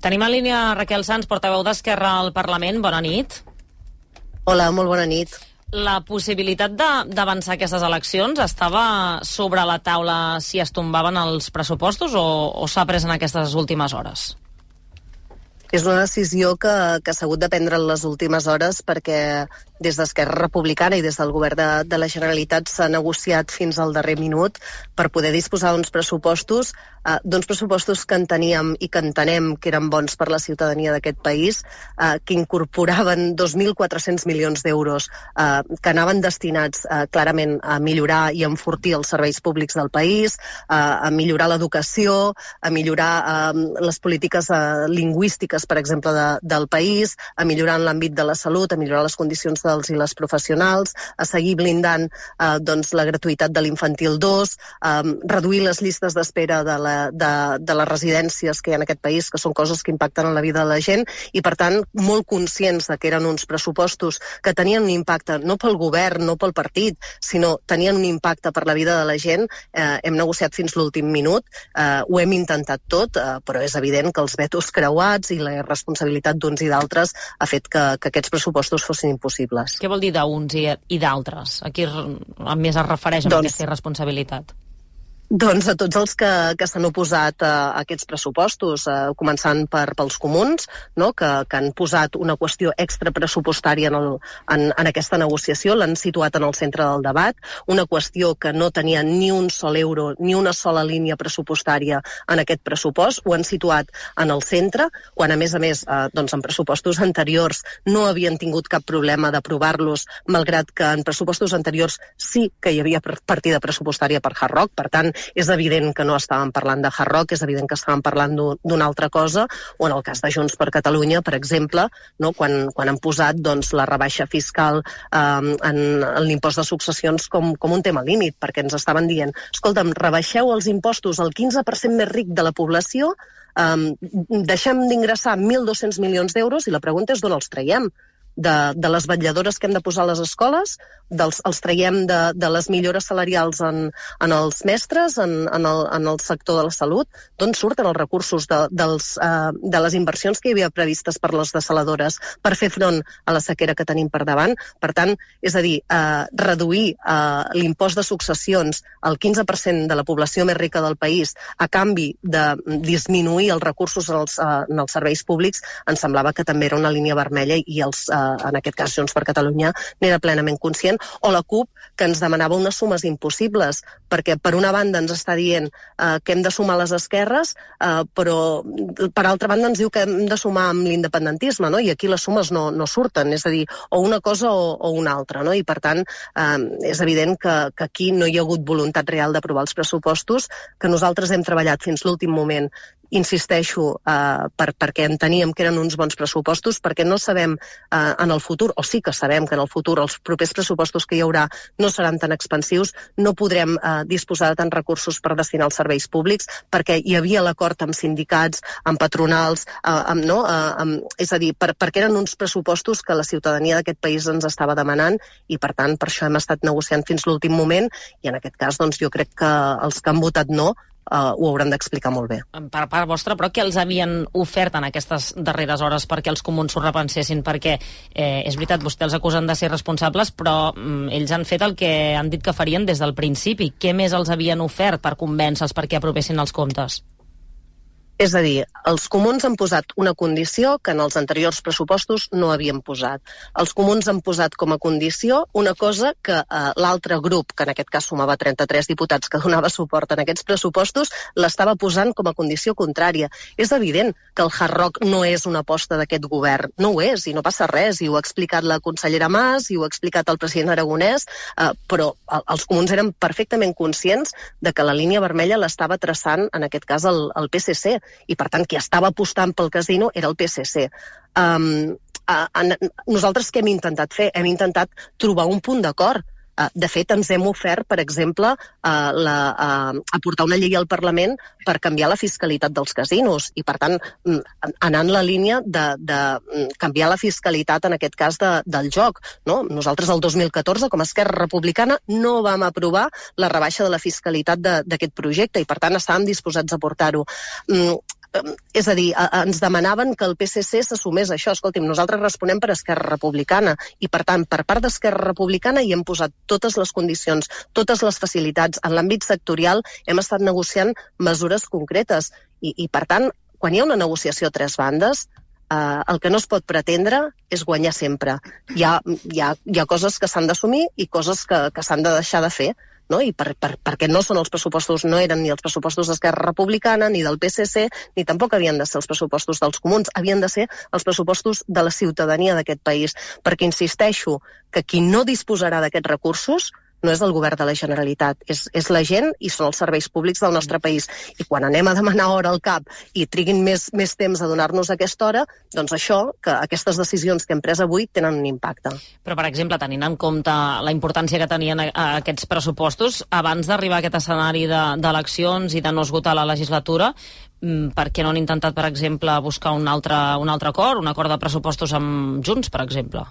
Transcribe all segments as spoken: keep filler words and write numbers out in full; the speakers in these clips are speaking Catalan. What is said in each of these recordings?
Tenim en línia Raquel Sans, portaveu d'Esquerra al Parlament. Bona nit. Hola, molt bona nit. La possibilitat d'avançar aquestes eleccions estava sobre la taula si es tombaven els pressupostos o, o s'ha pres en aquestes últimes hores? És una decisió que, que s'ha hagut de prendre en les últimes hores perquè des d'Esquerra Republicana i des del govern de, de la Generalitat s'ha negociat fins al darrer minut per poder disposar d'uns pressupostos, eh, d'uns pressupostos que enteníem i que entenem que eren bons per la ciutadania d'aquest país, eh, que incorporaven dos mil quatre-cents milions d'euros eh, que anaven destinats eh, clarament a millorar i a enfortir els serveis públics del país, eh, a millorar l'educació, a millorar eh, les polítiques eh, lingüístiques, per exemple, de, del país, a millorar en l'àmbit de la salut, a millorar les condicions dels i les professionals, a seguir blindant eh, doncs, la gratuïtat de l'infantil dos, eh, reduir les llistes d'espera de, la, de, de les residències que hi ha en aquest país, que són coses que impacten en la vida de la gent, i per tant molt conscients de que eren uns pressupostos que tenien un impacte no pel govern, no pel partit, sinó tenien un impacte per la vida de la gent. Eh, hem negociat fins l'últim minut, eh, ho hem intentat tot, eh, però és evident que els vetos creuats i la responsabilitat d'uns i d'altres ha fet que, que aquests pressupostos fossin impossibles. Què vol dir d'uns i, i d'altres? A qui a més es refereix amb doncs, aquesta irresponsabilitat? Doncs a tots els que, que s'han oposat a, a aquests pressupostos, eh, començant per, pels comuns, no? que, que han posat una qüestió extrapressupostària en, el, en, en aquesta negociació, l'han situat en el centre del debat, una qüestió que no tenia ni un sol euro, ni una sola línia pressupostària en aquest pressupost, ho han situat en el centre, quan a més a més eh, doncs en pressupostos anteriors no havien tingut cap problema d'aprovar-los, malgrat que en pressupostos anteriors sí que hi havia partida pressupostària per Hard Rock, per tant, és evident que no estàvem parlant de Hard Rock, és evident que estàvem parlant d'una altra cosa, o en el cas de Junts per Catalunya, per exemple, no, quan, quan han posat doncs, la rebaixa fiscal eh, en, en l'impost de successions com, com un tema límit, perquè ens estaven dient, escolta'm, rebaixeu els impostos al quinze per cent més ric de la població, eh, deixem d'ingressar mil dos-cents milions d'euros i la pregunta és d'on els traiem? De, de les vetlladores que hem de posar a les escoles, dels, els traiem de, de les millores salarials en, en els mestres, en, en, el, en el sector de la salut, d'on surten els recursos de, dels, uh, de les inversions que hi havia previstes per les desaladores per fer front a la sequera que tenim per davant. Per tant, és a dir, uh, reduir uh, l'impost de successions al quinze per cent de la població més rica del país a canvi de disminuir els recursos en els, uh, en els serveis públics ens semblava que també era una línia vermella i els uh, en aquest cas Junts per Catalunya n'era plenament conscient, o la CUP que ens demanava unes sumes impossibles, perquè per una banda ens està dient eh, que hem de sumar les esquerres, eh, però per altra banda ens diu que hem de sumar amb l'independentisme, no? I aquí les sumes no, no surten, és a dir, o una cosa o, o una altra, no? I per tant eh, és evident que, que aquí no hi ha hagut voluntat real d'aprovar els pressupostos, que nosaltres hem treballat fins l'últim moment, insisteixo, eh, per, perquè enteníem que eren uns bons pressupostos, perquè no sabem eh, en el futur, o sí que sabem que en el futur els propers pressupostos que hi haurà no seran tan expansius, no podrem eh, disposar de tants recursos per destinar als serveis públics, perquè hi havia l'acord amb sindicats, amb patronals, eh, amb, no, eh, amb, és a dir, per, perquè eren uns pressupostos que la ciutadania d'aquest país ens estava demanant i per tant per això hem estat negociant fins l'últim moment i en aquest cas doncs, jo crec que els que han votat no Uh, ho hauran d'explicar molt bé. Per part vostra, però què els havien ofert en aquestes darreres hores perquè els comuns s'ho repensessin? Perquè eh, és veritat, vostès els acusen de ser responsables, però mm, ells han fet el que han dit que farien des del principi. Què més els havien ofert per convèncer-los perquè aprovessin els comptes? És a dir, els comuns han posat una condició que en els anteriors pressupostos no havien posat. Els comuns han posat com a condició una cosa que eh, l'altre grup, que en aquest cas sumava trenta-tres diputats que donava suport en aquests pressupostos, l'estava posant com a condició contrària. És evident que el Hard Rock no és una aposta d'aquest govern. No ho és, i no passa res. I ho ha explicat la consellera Mas, i ho ha explicat el president Aragonès, eh, però els comuns eren perfectament conscients de que la línia vermella l'estava traçant, en aquest cas, el, el P S C. I per tant qui estava apostant pel casino era el P S C. Um, uh, en, nosaltres què hem intentat fer? Hem intentat trobar un punt d'acord. Uh, de fet, ens hem ofert, per exemple, uh, la, uh, aportar una llei al Parlament per canviar la fiscalitat dels casinos i, per tant, anar en la línia de, de canviar la fiscalitat, en aquest cas, de, del joc. No? Nosaltres, el dos mil catorze, com a Esquerra Republicana, no vam aprovar la rebaixa de la fiscalitat d'aquest projecte i, per tant, estàvem disposats a portar-ho. Mm, És a dir, ens demanaven que el P S C s'assumés això. Escolti'm, nosaltres responem per Esquerra Republicana i, per tant, per part d'Esquerra Republicana hi hem posat totes les condicions, totes les facilitats. En l'àmbit sectorial hem estat negociant mesures concretes i, i per tant, quan hi ha una negociació a tres bandes, eh, el que no es pot pretendre és guanyar sempre. Hi ha, hi ha, hi ha coses que s'han d'assumir i coses que, que s'han de deixar de fer, no? I per, per, perquè no són els pressupostos, no eren ni els pressupostos d'Esquerra Republicana, ni del P S C, ni tampoc havien de ser els pressupostos dels comuns, havien de ser els pressupostos de la ciutadania d'aquest país. Perquè insisteixo que qui no disposarà d'aquests recursos no és el govern de la Generalitat, és, és la gent i són els serveis públics del nostre país. I quan anem a demanar hora al cap i triguin més, més temps a donar-nos aquesta hora, doncs això, que aquestes decisions que hem pres avui tenen un impacte. Però, per exemple, tenint en compte la importància que tenien aquests pressupostos, abans d'arribar a aquest escenari d'eleccions i de no esgotar la legislatura, per què no han intentat, per exemple, buscar un altre, un altre acord, un acord de pressupostos amb Junts, per exemple?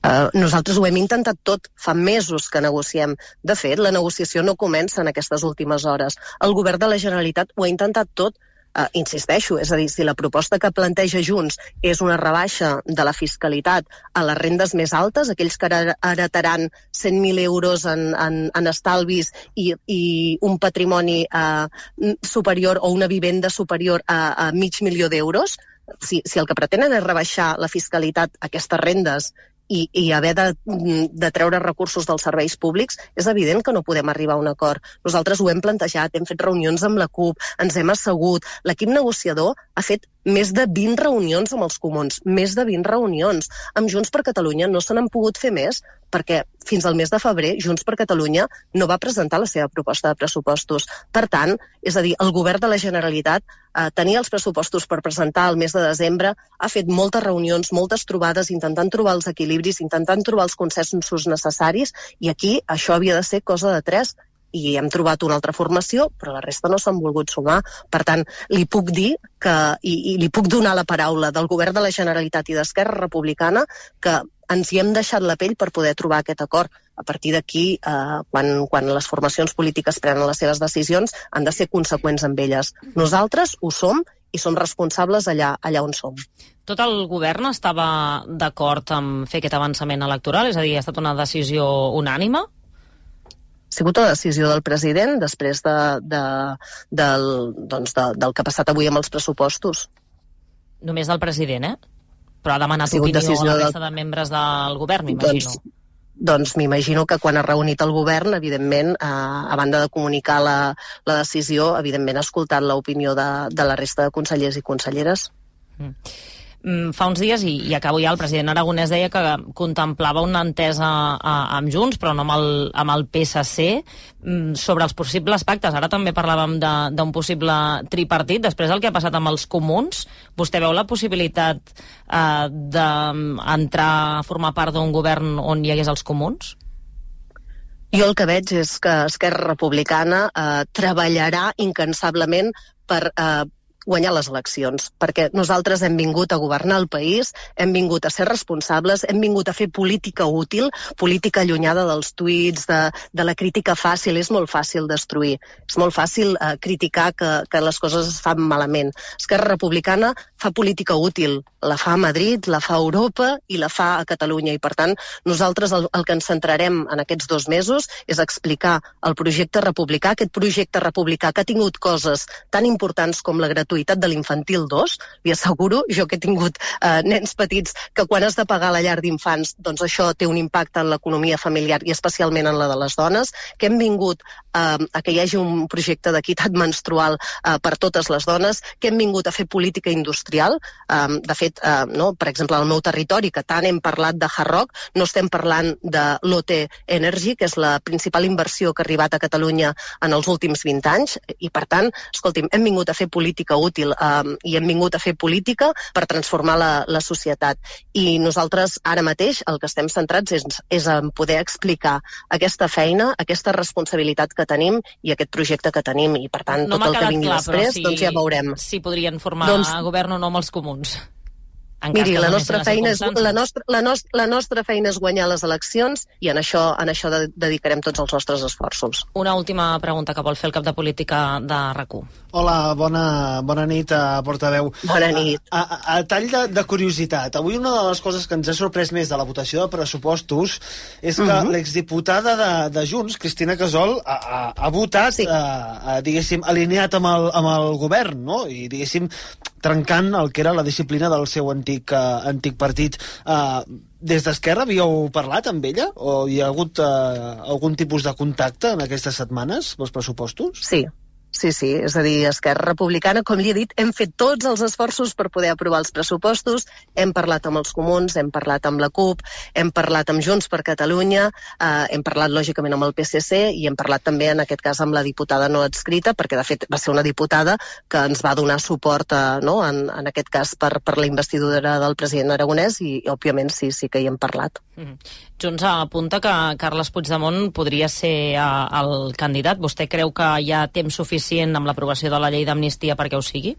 Uh, nosaltres ho hem intentat tot, fa mesos que negociem. De fet, la negociació no comença en aquestes últimes hores. El govern de la Generalitat ho ha intentat tot, uh, insisteixo, és a dir, si la proposta que planteja Junts és una rebaixa de la fiscalitat a les rendes més altes, aquells que heretaran cent mil euros en, en, en estalvis i, i un patrimoni uh, superior o una vivenda superior a, a mig milió d'euros, si, si el que pretenen és rebaixar la fiscalitat a aquestes rendes i, i haver de, de treure recursos dels serveis públics, és evident que no podem arribar a un acord. Nosaltres ho hem plantejat, hem fet reunions amb la CUP, ens hem assegut. L'equip negociador ha fet més de vint reunions amb els comuns, més de vint reunions. Amb Junts per Catalunya no se n'han pogut fer més perquè fins al mes de febrer Junts per Catalunya no va presentar la seva proposta de pressupostos. Per tant, és a dir, el govern de la Generalitat eh, tenia els pressupostos per presentar el mes de desembre, ha fet moltes reunions, moltes trobades, intentant trobar els equilibris, intentant trobar els consensos necessaris, i aquí això havia de ser cosa de tres, i hem trobat una altra formació, però la resta no s'han volgut sumar. Per tant, li puc dir que, i, i li puc donar la paraula del govern de la Generalitat i d'Esquerra Republicana, que ens hi hem deixat la pell per poder trobar aquest acord. A partir d'aquí, eh, quan, quan les formacions polítiques prenen les seves decisions, han de ser conseqüents amb elles. Nosaltres ho som i som responsables allà, allà on som. Tot el govern estava d'acord amb fer aquest avançament electoral? És a dir, ha estat una decisió unànime? Ha sigut una decisió del president després de, de, del, doncs de, del que ha passat avui amb els pressupostos. Només del president, eh? Però ha demanat ha opinió a la resta del... de membres del govern, m'imagino. Doncs, doncs m'imagino que quan ha reunit el govern, evidentment, eh, a banda de comunicar la, la decisió, evidentment ha escoltat l'opinió de, de la resta de consellers i conselleres. Mm. Fa uns dies, i, i acabo ja, el president Aragonès deia que contemplava una entesa a, amb Junts, però no amb el, amb el P S C, sobre els possibles pactes. Ara també parlàvem d'un possible tripartit. Després del que ha passat amb els comuns, vostè veu la possibilitat eh, d'entrar a formar part d'un govern on hi hagués els comuns? Jo el que veig és que Esquerra Republicana eh, treballarà incansablement per eh, guanyar les eleccions, perquè nosaltres hem vingut a governar el país, hem vingut a ser responsables, hem vingut a fer política útil, política allunyada dels tuits, de, de la crítica fàcil. És molt fàcil destruir, és molt fàcil eh, criticar que, que les coses es fan malament. Esquerra Republicana fa política útil, la fa a Madrid, la fa a Europa i la fa a Catalunya, i per tant nosaltres el, el que ens centrarem en aquests dos mesos és explicar el projecte republicà, aquest projecte republicà que ha tingut coses tan importants com la gratuïtat de l'infantil dos, li asseguro, jo que he tingut eh, nens petits, que quan has de pagar la llar d'infants, doncs això té un impacte en l'economia familiar i especialment en la de les dones, que hem vingut eh, a que hi hagi un projecte d'equitat menstrual eh, per totes les dones, que hem vingut a fer política industrial. Eh, de fet, eh, no, per exemple, al meu territori, que tant hem parlat de Hard Rock, no estem parlant de l'O T Energy, que és la principal inversió que ha arribat a Catalunya en els últims vint anys, i per tant, escolti'm, hem vingut a fer política útil um, i hem vingut a fer política per transformar la, la societat. I nosaltres ara mateix el que estem centrats és, és en poder explicar aquesta feina, aquesta responsabilitat que tenim i aquest projecte que tenim, i per tant no tot el que vingui clar, després si, doncs ja veurem. Si podrien formar doncs, govern o no amb els comuns. Miri, la nostra, feina és, la, nostra, la, nostra, la nostra feina és guanyar les eleccions i en això, en això dedicarem tots els nostres esforços. Una última pregunta que vol fer el cap de política de RAC u. Hola, bona, bona nit, a portaveu. Bona nit. A, a, a tall de, de curiositat, avui una de les coses que ens ha sorprès més de la votació de pressupostos és que uh-huh. l'exdiputada de, de Junts, Cristina Casol, ha, ha, ha votat, sí. a, a, diguéssim, alineat amb el, amb el govern, no? I, diguéssim, trencant el que era la disciplina del seu antic, uh, antic partit. Uh, des d'Esquerra havíeu parlat amb ella? O hi ha hagut uh, algun tipus de contacte en aquestes setmanes pels pressupostos? Sí. Sí, sí, és a dir, Esquerra Republicana, com li he dit, hem fet tots els esforços per poder aprovar els pressupostos, hem parlat amb els comuns, hem parlat amb la CUP, hem parlat amb Junts per Catalunya, eh, hem parlat lògicament amb el P S C i hem parlat també en aquest cas amb la diputada no adscrita, perquè de fet va ser una diputada que ens va donar suport a, no, en, en aquest cas per, per la investidura del president Aragonès i, i òbviament sí, sí que hi hem parlat. Mm-hmm. Junts apunta que Carles Puigdemont podria ser eh, el candidat. Vostè creu que hi ha temps suficient amb l'aprovació de la llei d'amnistia perquè ho sigui?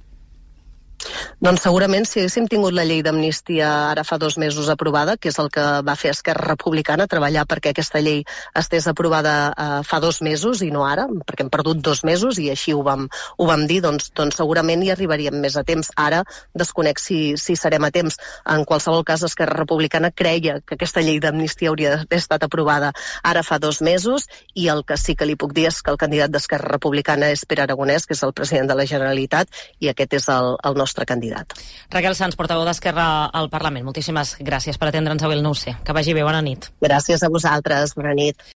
Doncs segurament si haguéssim tingut la llei d'amnistia ara fa dos mesos aprovada, que és el que va fer Esquerra Republicana, treballar perquè aquesta llei estés aprovada eh, fa dos mesos i no ara, perquè hem perdut dos mesos i així ho vam, ho vam dir, doncs, doncs segurament hi arribaríem més a temps. Ara desconec si, si serem a temps. En qualsevol cas, Esquerra Republicana creia que aquesta llei d'amnistia hauria d'haver estat aprovada ara fa dos mesos i el que sí que li puc dir és que el candidat d'Esquerra Republicana és Pere Aragonès, que és el president de la Generalitat, i aquest és el, el nostre candidat. Raquel Sans, portaveu d'Esquerra al Parlament. Moltíssimes gràcies per atendre'ns avui al nou C. Que vagi bé, bona nit. Gràcies a vosaltres, bona nit.